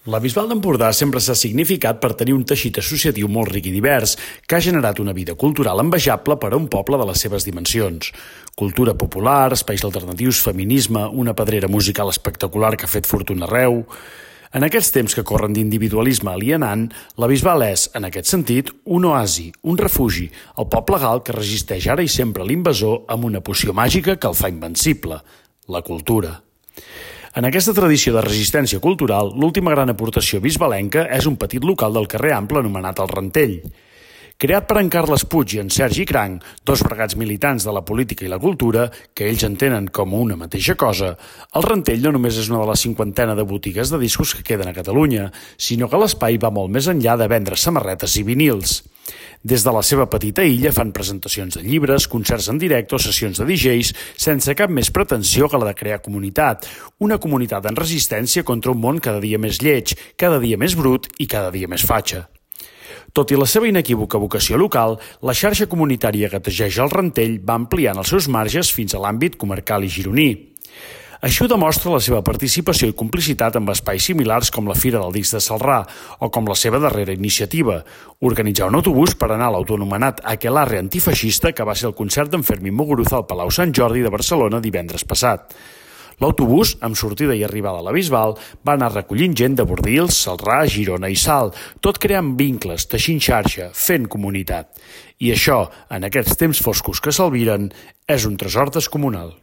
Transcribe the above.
La Bisbal d'Empordà sempre s'ha significat per tenir un teixit associatiu molt ric i divers, que ha generat una vida cultural envejable per a un poble de les seves dimensions. Cultura popular, espais alternatius, feminisme, una pedrera musical espectacular que ha fet fortuna arreu. En aquests temps que corren d'individualisme alienant, la Bisbal és, en aquest sentit, un oasi, un refugi, el poble gal que resisteix ara i sempre l'invasor amb una poció màgica que el fa invencible, la cultura. En aquesta tradició de resistència cultural, l'última gran aportació bisbalenca és un petit local del carrer Ample anomenat el Rentell. Creat per en Carles Puig i en Sergi Cranc, dos bregats militants de la política i la cultura, que ells entenen com una mateixa cosa, el Rentell no només és una de la cinquantena de botigues de discos que queden a Catalunya, sinó que l'espai va molt més enllà de vendre samarretes i vinils. Des de la seva petita illa fan presentacions de llibres, concerts en directe o sessions de DJs sense cap més pretensió que la de crear comunitat, una comunitat en resistència contra un món cada dia més lleig, cada dia més brut i cada dia més fatxa. Tot i la seva inequívoca vocació local, la xarxa comunitària que tegeix el Rentell va ampliant els seus marges fins a l'àmbit comarcal i gironí. Això demostra la seva participació i complicitat amb espais similars com la Fira del Disc de Celrà o com la seva darrera iniciativa, organitzar un autobús per anar a l'autoanomenat Aquelarre antifeixista que va ser el concert d'en Fermín Muguruza al Palau Sant Jordi de Barcelona divendres passat. L'autobús, amb sortida i arribada a la Bisbal, va anar recollint gent de Bordils, Celrà, Girona i Salt, tot creant vincles, teixint xarxa, fent comunitat. I això, en aquests temps foscos que s'albiren, és un tresor descomunal.